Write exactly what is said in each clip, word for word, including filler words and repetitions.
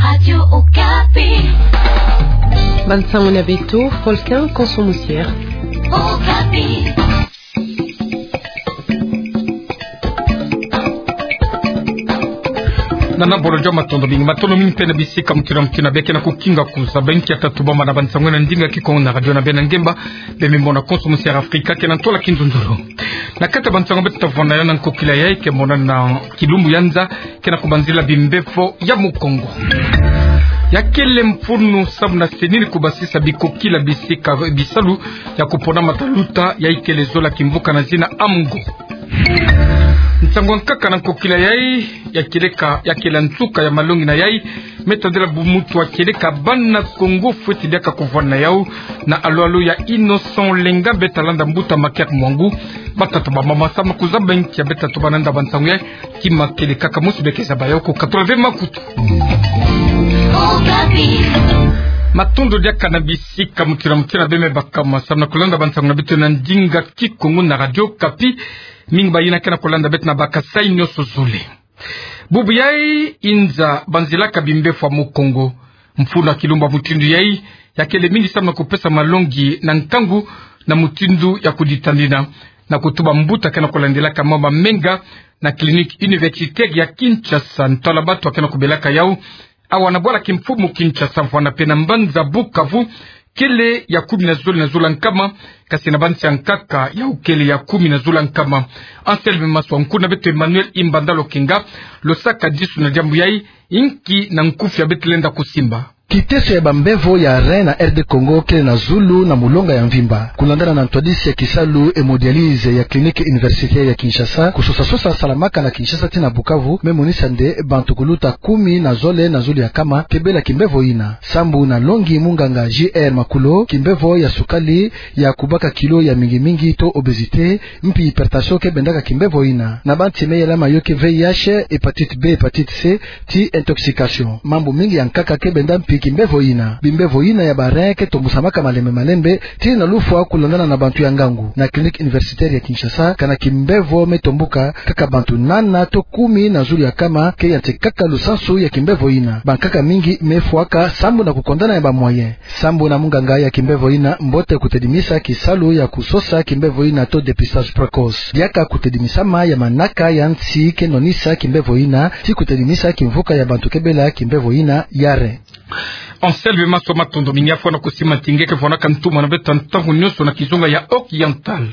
Radio Okapi. Bansango na beto, Folkin Konso Musier. Okapi. Nana Bolojo, matondo mingi, matondo mingi mpe na bisika mutindu na mutindu beke na kukinga kusa. Beno ke tatu bamba na bansango na ndinga Kikongo na radio na beno ngemba, beno me mona Konso Musier Afrika ke na ntola kinzonzolo. Na kati ya bansango beto ta vwanda na yo na nkokila yayi, ke mona na kilumbu ya nza, ke na kubanzila bimbevo ya Mukongo. Ya kele mfunu samu na senini kubasisa bikokila bisika bisalu ya kupona mataluta ya ikele zola kimvuka na zina Amgo. Nsangu ya nkaka na nkokila yayi, ya kieleka, ya kiela nsuka ya malongi na yayi, me tadila bu mutu wa kieleka bana Kongo fweti diaka kuvwanda na yau, na alualu ya Innocent Lenga, beta landa mbuta Maker Mwangu. Batata bamama, samu na kuzaba nki ya beta tubana nda bansangu yayi, kima kieleka ka musu beke zaba yau ko katula ve makutu. Matondo diaka na bisika mutindu na mutindu beno me bakama samu na kulanda bansangu na beto na ndinga Kikongo na Radio Okapi. Mingi bayina ke na kulanda beto na bakasa nyonso zole. Bubu yayi inza banzilaka bimbevo ya Mukongo. Mfunu ya kilumbu ya mutindu yayi, ya kele mingi samu na kupesa malongi na nkangu na mutindu ya kuditanina, na kutuba mbuta ke na kulandilaka mambu ya menga na Clinique Universitaire ya Kinshasa. Ntwala batu ke na kubelaka yau awa na bwala kimfumu Kinshasa, vwanda mpe na mbanza Bukavu, kele ya kumi na zole na zole ya nkama, kasi na bansi ya nkaka yau kele ya kumi na zole ya nkama. Anselme Maswa, nkuna beto Emmanuel Imbanda Lokenga, lo saka disu na diambu yayi, inki na nkufi ya beto lenda kusimba. Kiteso ya bambevo ya rein na R D Congo kele na zulu na mulonga ya mvimba. Kulandana na ntwadisi ya kisalu hémodialyse ya Clinique Universitaire ya Kinshasa, kusosa-sosa salamaka na Kinshasa tii na Bukavu, me monisa nde bantu kuluta kumi na zole na zulu ya nkama ke bela kimbevo yina. Sambu na longi munganga J R Makulo, kimbevo ya sukali, ya kubaka kilo ya mingi-mingi to obésité, mpi hypertension ke bendaka kimbevo yina. Na bansi me yela mayoki V I H, hépatite B, hépatite C, ti intoxication. Mambu mingi ya nkaka ke benda mpi kimbevo yina. Bimbevo yina ya ba rein ke tombusamaka malembe-malembe, tii na lufwa, kulandana na bantu ya ngangu. Na Clinique Universitaire ya Kinshasa, kana kimbevo me tombuka, kaka bantu nana to kumi na zulu ya nkama ke yantikaka lusansu ya kimbevo yina. Bankaka mingi me fwaka sambu na kukondana ya ba moyens. Sambu na munganga ya kimbevo yina, mbote kutedimisa kisalu ya kusosa kimbevo yina to dépistage précoce. Diaka kutedimisama ya manaka ya nsi ke nonisa kimbevo yina, ti kutedimisa kimvuka ya bantu ke bela kimbevo yina ya rein. Anselme Maswa, matondo mingi, fwana kusimanti nge ke fwanaka ntumwa na beto ntangu nyonso na kizunga ya Oriental.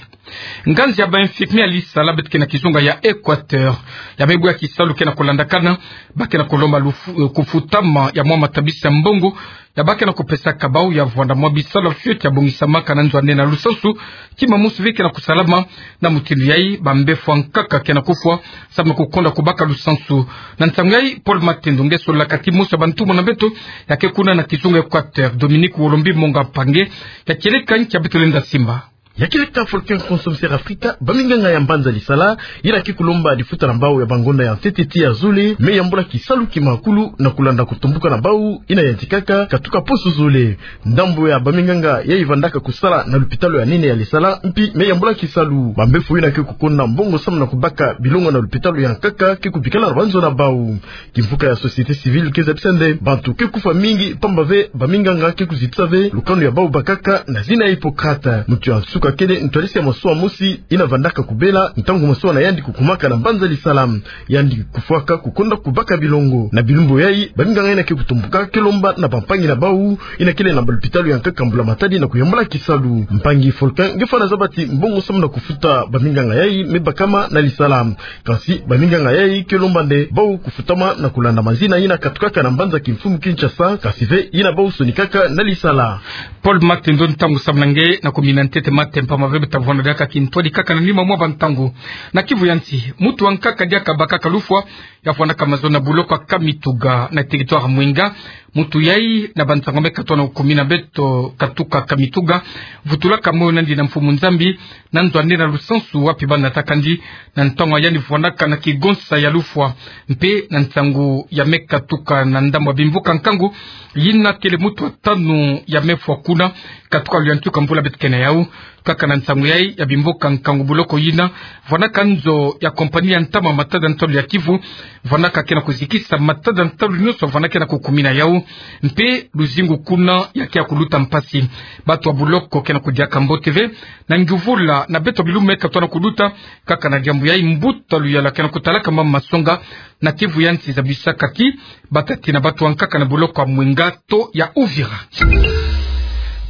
Nganzi ya ba infirmier ya lisala beto ke na kizunga ya Équateur, ya me bwe ya kisalu ke na kulandakana, ba ke na kulomba lufu-, eh, kufutama ya mwa matabisi ya mbongo ya ba ke na kupesaka bau, ya vwanda mwa bisalu ya fioti ya bongisamaka na nzo ya nde na lusansu, kima musu ve ke na kusalama. Na mutindu yayi, bambevo ya nkaka ke na kufwa, samu na kukonda kubaka lusansu. Na ntangu yayi, Paul Matendo, nge sololaka timosi ya bantumwa na beto, ya ke kuna na kizunga Équateur, Dominique Wolombi Monga Mpangi, ya kieleka nki ya beto lenda simba. Ya kieleka Folkin Konso Musier Afrika, baminganga ya mbanza lisala, yina ke kulomba lifuta na bau ya bangonda ya ntete ti ya zole, me yambula kisalu kimakulu na kulanda kutombuka na bau yina yantikaka, katuka poso zole. Ndambu ya baminganga yayi vandaka kusala na lupitalu ya nene ya lisala, mpi me yambula kisalu. Bambevo yina ke kukonda mbongo samu na kubaka bilongo na lupitalu ya nkaka ke kubikala na banzo na bau. Kimvuka ya société civile ke zabisa nde bantu ke kufwa mingi, pamba ve baminganga ke kuzitisa ve lukanu ya bau bakaka na zina ya Hippocrate. Mutu ya nsuka kele ntwadisi ya masuwa mosi yina vandaka kubela ntangu masuwa na yandi kukumaka na mbanza lisala. Yandi kufwaka kukonda kubaka bilongo. Na bilumbu yayi, baminganga yina ke kutombuka ke lomba na bampangi na bau yina kele na balupitalu ya nkaka mbula-matadi na kuyambula kisalu. Mpangi Folkin, nge fwana zaba ti mbongo samu na kufuta baminganga yayi me bakama na lisala. Kasi baminganga yayi ke lomba nde bau kufutama na kulanda mazina yina katukaka na mbanza kimfumu Kinshasa, kasi ve yina bau sonikaka na lisala. Paul Matendo, ntangu samu na nge na kumina ntete mate mpamba ve beta vwanda diaka kintwadi kaka na nima mwa bantangu. Na Kivu ya nsi, mutu wa nkaka diaka bakaka lufwa, ya fwanaka mazono na buloko ya Kamituga na territoire Mwenga, Mutu yai na bansango me katona kumi na beto katuka Kamituga, vutulaka moyo nandi na mfumu Nzambi, na nzo andi na lusansu wapi bana natakandi, na ntangu yandi vwanaka na kigonsa ya lufwa, mpe na nsangu ya me katuka na ndambu ya bimvuka nkangu, yina kele mutu wa tanu ya me fwa kuna, katuka luyantika mvula beto ke na yau. Kaka na nsangu yai ya bimvuka nkangu, boloko yina vwanaka nzo ya compagnie ya ntama matada ntalu ya Kivu, vwanaka ke na kuzikisa matada ntalu nyonso vwanaka ke na kukumina yau, mpe luzingu kuna ya ke ya kuluta mpasi. Bato ya boloko ke na kudiaka mbote ve na nguvula na beto bilumbu me katona kuluta. Kaka na diambu yai, mbuta luyalu ke na kutalaka mama masonga na Kivu ya nsi zabisaka ti batatina bato ya nkaka na boloko ya Mwenga to ya Uvira.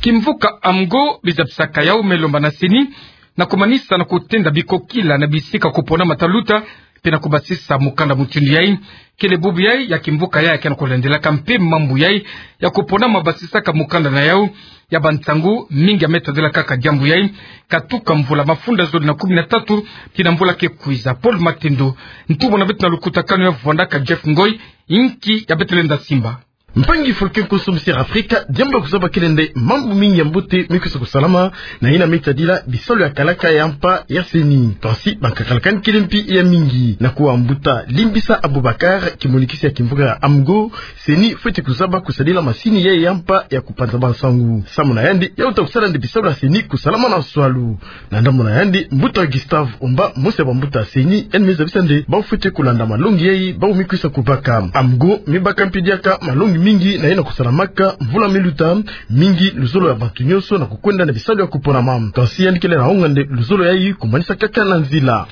Kimvuka Amgo bizabisaka yau me lomba na CENI na kumanisa na kutenda bikokila na bisika kupona mataluta, mpe na kubasisa mukanda mutindu yai. Kele bubu yai ya kimvuka yai ke na kulandelaka mpe mambu yai ya kupona ma basisaka mukanda na yau. Ya bansangu mingi ya me tadila kaka diambu yai, katuka mvula mafunda zole na kumi na tatu tii na mvula ke kwiza. Paul Matendo, ntumwa na beto na lukutakanu ya vwandaka Jeff Ngoi, inki ya beto lenda simba. Mpangi Fulke Nkusu, Mister Afrika, diambu ya kuzaba kele nde mambu mingi ya mbote me kwiza kusalama, na yina me tadila bisalu ya kalaka ya mpa ya CENI. Kansi bankakalakani kele mpi ya mingi. Na kuwa mbuta Limbisa Abubakar, kimonikisi ya kimvuka ya Amgo, CENI fweti kuzaba kusadila masini yai ya mpa ya kupanza bansangu. Samu na yandi, ya uta kusala nde bisalu ya CENI kusalama na nswalu. Na ndambu na yandi, mbuta Gustave Omba, mosi ya bambuta ya CENI, yandi me zabisa nde bawu fweti kulanda malongi yai bawu me kwiza kubaka. Amgo me baka mpi diaka malongi mingi na yina kusalamaka mvula me luta, mingi luzolo ya bantu nyonso na kukwenda na bisalu ya kuponama. Kansi yandi kele na onga nde luzolo yai kumanisa kaka na nzila.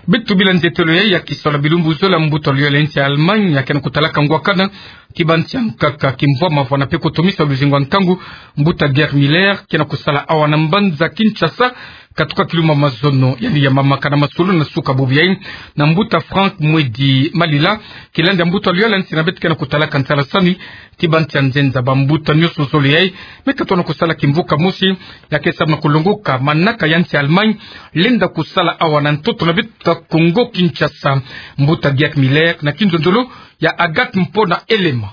Beto bila nzetelo yai ya kisalu ya bilumbu zole, mbuta luyalu ya nsi ya Allemagne ya ke na kutalaka ngwakana ti bansi ya nkaka kimvwama vwana mpe kutomisa luzingu ya nkangu. Mbuta Gerd Müller ke na kusala awa na mbanza Kinshasa, katuka kilumbu mazono yandi ya mamaka na masolo na suka bubu yai na mbuta Franck Mwedi Malila, kilandi ya mbuta luyalu ya nsi na beto ke na kutalaka nsalasani ti bansi ya nzenza. Bambuta nyonso zole yai me katona kusala kimvuka mosi ya ke samu na kulongoka manaka ya nsi ya Allemagne lenda kusala awa na ntoto na beto Kongo Kinshasa. Mbuta Gerd Müller na kinzonzolo ya Agathe Mpona Elema.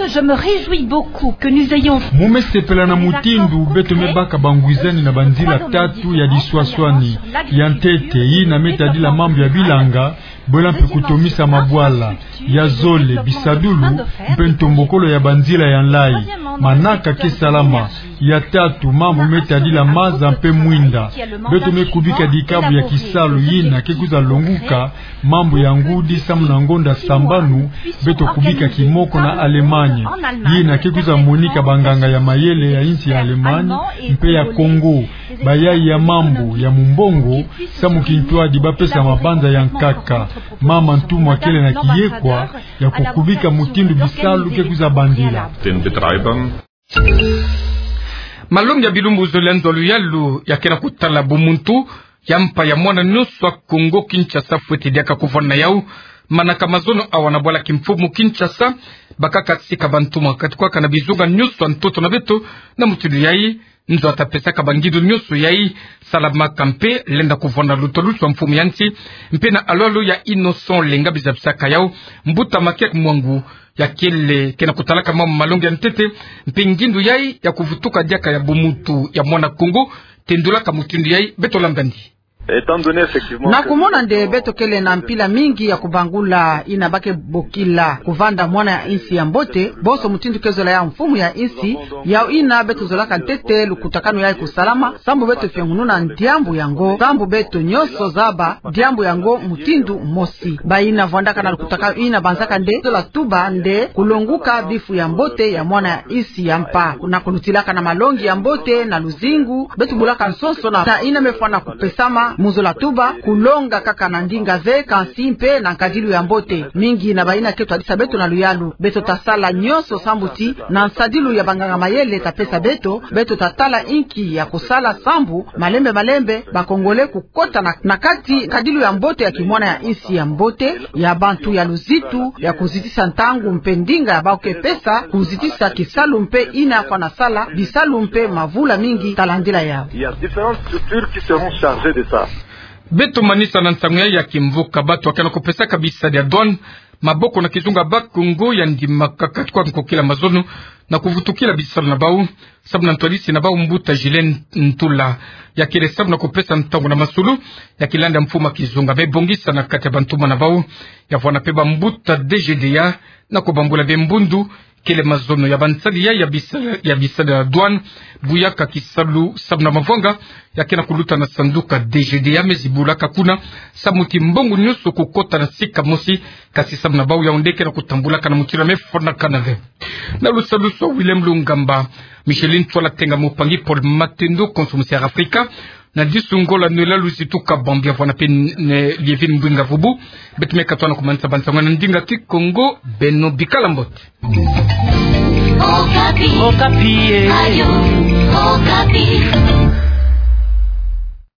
Je me réjouis beaucoup que nous ayons... Mu me sepela na mutindu beto me baka bangwizani na banzila tatu ya diswaswani. Ya ntete, yina me tadila mambu ya bilanga, bwela mpe kutomisa mabwala. Ya zole, bisadulu mpe ntombokolo ya banzila ya nlayi. Manaka ke salama. Ya tatu, mambu me tadila maza mpe mwinda. Beto me kubika dikabu ya kisalu yina ke kwiza longuka mambu ya ngudi samu na ngonda sambanu beto kubika kimoko na Allemagne. Yina ke kwiza monika banganga ya mayele ya insi ya Allemagne mpe ya Congo, bayai ya mambu ya mumbongo, samu kintwadi ba pesa mabanza ya nkaka. Mama ntumwa kele na kiyekwa ya kukubika mutindu bisalu ke kwiza bandila. Malongi ya bilumbu zole ya nzo ya luyalu ya ke na kutala bumuntu ya mpa ya mwana nyonso ya Kongo Kinshasa fweti diaka kuvwanda na yau. Manaka mazono awa na bwala kimfumu Kinshasa, bakaka sika bantumwa katuka na bizunga nyonso ya ntoto na beto. Na mutindu yai, nzo ata pesaka bangindu nyonso yai salamaka mpe lenda kuvwanda na lutalusu ya mfumu ya nsi. Mpe na alwalu ya Innocent Lenga bizabisaka yau, mbuta Makiak Mwangu ya kele ke na kutalaka mama malongi ya ntete, mpe ngindu yai ya kuvutuka diaka ya bumuntu ya mwana Kongo, tendulaka mutindu yai. Beto landa ndi. Na kumona nde beto kele na mpila mingi ya kubangula yina ba ke bokila kuvanda mwana ya insi ya mbote, bonso mutindu ke zola ya mfumu ya insi, yau yina beto zolaka ntete lukutakanu yai kusalama, sambu beto fiongununa diambu yango, sambu beto nyonso zaba diambu yango mutindu mosi. Bayina vwandaka na lukutakanu yina banzaka nde zola tuba nde kulonguka bifu ya mbote ya mwana ya insi ya mpa. Na kulutilaka na malongi ya mbote na luzingu, beto bulaka nsonso na, na yina me fwana kupesama mu zola tuba, kulonga kaka na ndinga ve, kansi mpe na nkadilu ya mbote. Mingi na bayina ke twadisa beto na luyalu, beto ta sala nyonso sambu ti na nsadilu ya banganga mayele ta pesa beto, beto ta tala inki ya kusala sambu malembe malembe ba Congolais kukota na, na kati nkadilu ya mbote ya kimwana ya insi ya mbote, ya bantu ya luzitu, ya kuzitisa ntangu mpe ndinga ya ba ke pesa, kuzitisa kisalu mpe yina fwana sala bisalu mpe mavula mingi ta landila yau. Il y a différentes structures qui seront chargées de ça. Beto manisa na nsangu ya kimvuka, bato ya ke na kupesaka bisadi ya douane maboko na kizunga Bas-Congo ya ndimakaka kati kwa nkokila mazono na kuvutukila bisalu na bau, samu na ntwadisi na bau mbuta Julien Ntula. Ya kele samu na kupesa ntangu na masulu ya kilanda mfumu ya kizunga me bongisa na kati ya bantumwa na bau. Ya vwanda pe bambuta D G D A na kubambula be mbundu kele mazono ya bansadi ya, ya bisa, ya bisadi ya douane, buyaka kisalu samu na mavwanga ya ke na kuluta na sanduka D G D A me zibulaka kuna samu ti mbongo nyonso kukota na sika mosi, kasi samu na bau ya onde ke na kutambulaka na mutindu ya me fwanakana ve. Na lusadusu, William Lungamba, Micheline Twala Tenga, mopangi Paul Matendo, konso musi Air Africa, na disu Ngola Noëlla Luzitu Kabambi, ya vwanda pe ne Lievine Mbwinga Vubu. Beto me katoa na kumanisa bansangu na ndinga Kikongo. Beno bikala mbote. Okapi. Okapi, eh. Ayo, Okapi.